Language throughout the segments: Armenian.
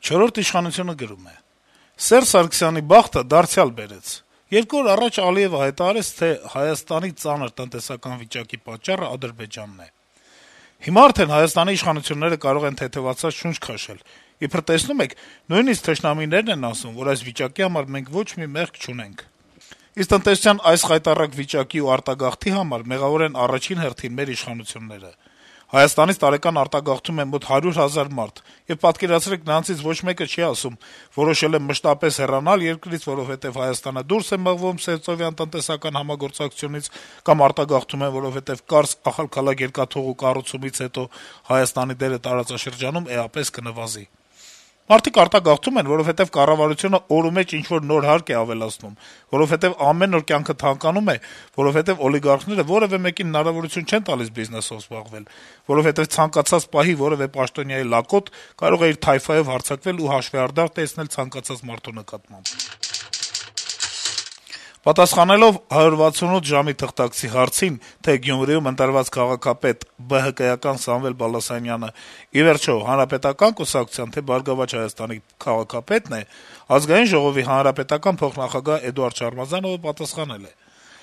Չորրորդ իշխանությունը գրում է. - Սերժ Սարգսյանի բախտը դարձյալ բերեց: 2 օր առաջ Ալիեւը հայտարարեց, թե Հայաստանի ծանր տնտեսական վիճակի պատճառը Ադրբեջանն է: Հիմա արդեն Հայաստանի իշխանությունները կարող են թեթեւացած շունչ քաշել: Իբր տեսնում եք, նույնիսկ թշնամիներն են ասում, որ այս վիճակի համար մենք ոչ մի մեղք չունենք: Իսկ տնտեսության այս խայտառակ վիճակի ու արտագաղթի համար մեղավոր են առաջին հերթին մեր իշխանությունները: Հայաստանից տարեկան արտագաղթում է մոտ 100,000 մարդ, եւ պատկերացրեք, նրանցից ոչ մեկը չի ասում՝ որոշել եմ մշտապես հեռանալ երկրից, որովհետեւ Հայաստանը դուրս է մղվում սերտովյան տնտեսական համագործակցությունից, կամ արտագաղթում են, որովհետեւ կարս ախալքալակ երկաթուղու կառուցումից հետո Հայաստանի դերը տարածաշրջանում էապես կնվազի: Մարդիկ արտագաղթում են, որովհետեւ կառավարությունը օրումեջ ինչ-որ նոր հարկ է ավելացնում, որովհետեւ ամեն օր կյանքը թանկանում է, որովհետեւ օլիգարխները որեւէ մեկին հնարավորություն չեն տալիս բիզնեսով զբաղվել, որովհետեւ ցանկացած պահի որեւէ պաշտոնյայի լակոտ կարող է իր թայֆայով հարձակվել ու հաշվեհարդար տեսնել ցանկացած մարդու նկատմամբ»: Պատասխանելով 168 ժամի թղթակցի հարցին, թե Գյումրիում ընտրված քաղաքապետ ԲՀԿ-ական Սամվել Բալասանյանը ի վերջո Հանրապետական կուսակցության, թե Բարգավաճ Հայաստանի քաղաքապետն է, Ազգային ժողովի հանրապետական փոխնախագահ Էդուարդ Շարմազանովը պատասխանել է. -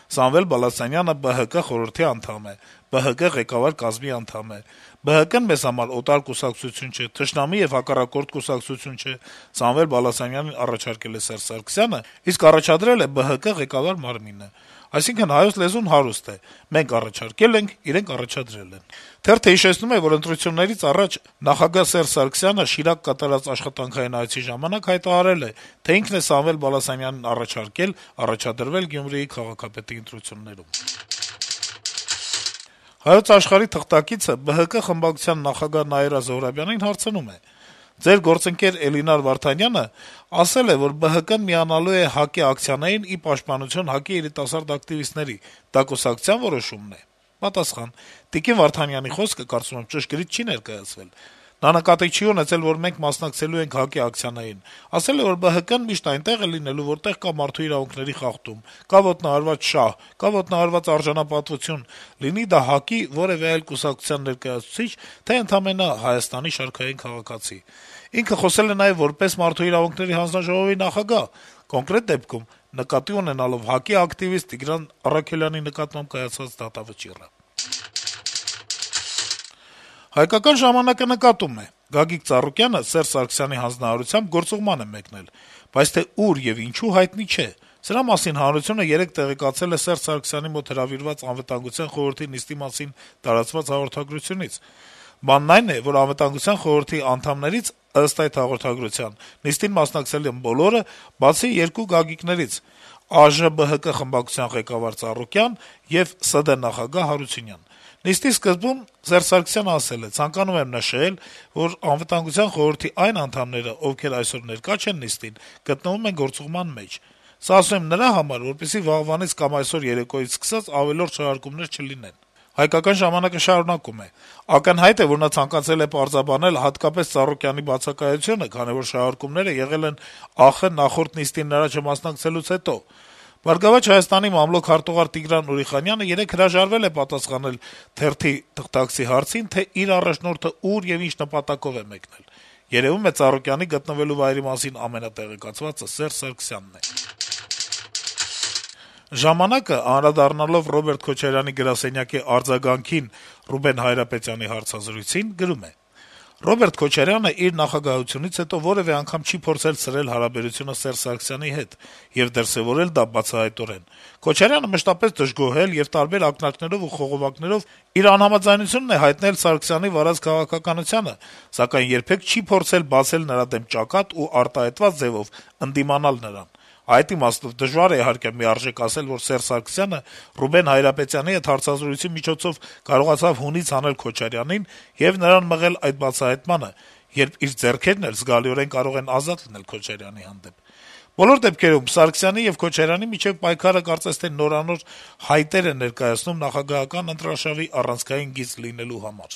«Սամվել Բալասանյանը ԲՀԿ խորհրդի անդամ է, ԲՀԿ ղեկավար կազմի անդամ է: ԲՀԿ-ն մեզ համար օտար կուսակցություն չէ, թշնամի եւ հակառակորդ կուսակցություն չէ: Սամվել Բալասանյանին առաջարկել է Սերժ Սարգսյանը, իսկ առաջադրել է ԲՀԿ ղեկավար մարմինը: Այսինքն` հայոց լեզուն հարուստ է. մենք առաջարկել ենք, իրենք առաջադրել են»: Թերթը հիշեցնում է, որ ընտրություններից առաջ նախագահ Սերժ Սարգսյանը Շիրակ կատարած աշխատանքային այցի ժամանակ հայտարարել է, թե ինքն է Սամվել Բալասանյանին առաջարկել առաջադրվել Գյումրիի քաղաքապետի ընտրություններում: «Հայոց Աշխարհ»-ի թղթակիցը ԲՀԿ խմբակցության նախագահ Նաիրա Զոհրաբյանին հարցնում է. - «Ձեր գործընկեր Էլինար Վարդանյանը ասել է, որ ԲՀԿ-ն միանալու է ՀԱԿ-ի ակցիաներին ի պաշտպանություն ՀԱԿ-ի երիտասարդ ակտիվիստների: Դա կուսակցության որոշումն է»: Պատասխան. - Տիկին Վարդանյանի խոսքը, կարծում եմ, ճշգրիտ չի ներկայացվել: Նա նկատի չի ունեցել, որ մենք մասնակցելու ենք ՀԱԿ-ի ակցիաներին: Ասել է, որ ԲՀԿ-ն միշտ այնտեղ է լինելու, որտեղ կա մարդու իրավունքների խախտում, կա ոտնահարված շահ, կա ոտնահարված արժանապատվություն, լինի դա ՀԱԿ-ի որեւէ այլ կուսակցության ներկայացուցիչ, թե ընդամենը Հայաստանի շարքային քաղաքացի: Ինքը խոսել է նաեւ որպես Մարդու իրավունքների հանձնաժողովի նախագահ, կոնկրետ դեպքում նկատի ունենալով ՀԱԿ-ի ակտիվիստ Տիգրան Առաքելյանի նկատմամբ կայացած դատավճիռը»: «Հայկական ժամանակ»-ը նկատում է. - «Գագիկ Ծառուկյանը Սերժ Սարգսյանի հանձնարարությամբ գործուղման է մեկնել, բայց թե ուր եւ ինչու հայտնի չէ: Սրա մասին հանրությունը երեկ տեղեկացել է Սերժ Սարգսյանի մոտ հրավիրված Անվտանգության խորհրդի նիստի մասին տարածված հաղորդագրությունից: Բանն այն է, որ Անվտանգության խորհրդի անդամներից, ըստ այդ հաղորդագրության, նիստին մասնակցել են բոլորը, բացի երկու Գագիկներից` ԱԺ-ԲՀԿ խմբակցության ղեկավար Ծառուկյան եւ ՍԴ նախագահ Հարությունյան: Նիստի սկզբում Սերժ Սարգսյանը ասել է. «Ցանկանում եմ նշել, որ Անվտանգության խորհրդի այն անդամները, ովքեր այսօր ներկա չեն նիստին, գտնվում են գործուղման մեջ: Սա ասում եմ նրա համար, որպեսզի վաղվանից կամ այսօր երեկոյից սկսած ավելորդ շարժումներ չլինեն»: «Հայկական ժամանակ»-ը շարունակում է. - «Ակնհայտ է, որ նա ցանկացել է պարզաբանել հատկապես Ծառուկյանի բացակայությունը, քանի որ շահարկումները եղել են ԱԽ նախորդ նիստին նրա չմասնակցելուց հետո: Բարգավաճ Հայաստանի մամլոք հարտուղար Տիգրան Ուրիխանյանը երեկ հրաժարվել է պատասխանել թերթի թղթակցի հարցին, թե իր առաջնորդը ուր եւ ինչ նպատակով է մեկնել: Երեւում է Ծառուկյանի գտնվելու վայրի մասին ամենատեղեկացվածը Սերժ Սարգսյանն է»: «Ժամանակ»-ը, անդրադառնալով Ռոբերտ Քոչարյանի գրասենյակի արձագանքին Ռուբեն Հայրապետյանի հարցազրույցին, գրում է. - «Ռոբերտ Քոչարյանը իր նախագահությունից հետո որեւէ անգամ չի փորձել սրել հարաբերությունը Սերժ Սարգսյանի հետ եւ դրսեւորել դա բացահայտորեն: Քոչարյանը մշտապես դժգոհել եւ տարբեր ակնարկներով ու խողովակներով իր անհամաձայնությունն է հայտնել Սարգսյանի վարած քաղաքականությանը, սակայն երբեք չի փորձել բացել նրա դեմ ճակատ ու արտահայտված ձեւով ընդդիմանալ նրան: Այդ իմաստով դժվար է, իհարկե, միարժեք ասել, որ Սերժ Սարգսյանը Ռուբեն Հայրապետյանի հետ հարցազրույցի միջոցով կարողացավ հունից հանել Քոչարյանին եւ նրան մղել այդ բացահայտմանը, երբ իր ձեռքերն էլ զգալիորեն կարող են ազատ լինել Քոչարյանի հանդեպ: Բոլոր դեպքերում Սարգսյանի եւ Քոչարյանի միջեւ պայքարը կարծես թե նորանոր հայտեր է ներկայացնում նախագահական ընտրարշավի առանցքային գիծ լինելու համար»: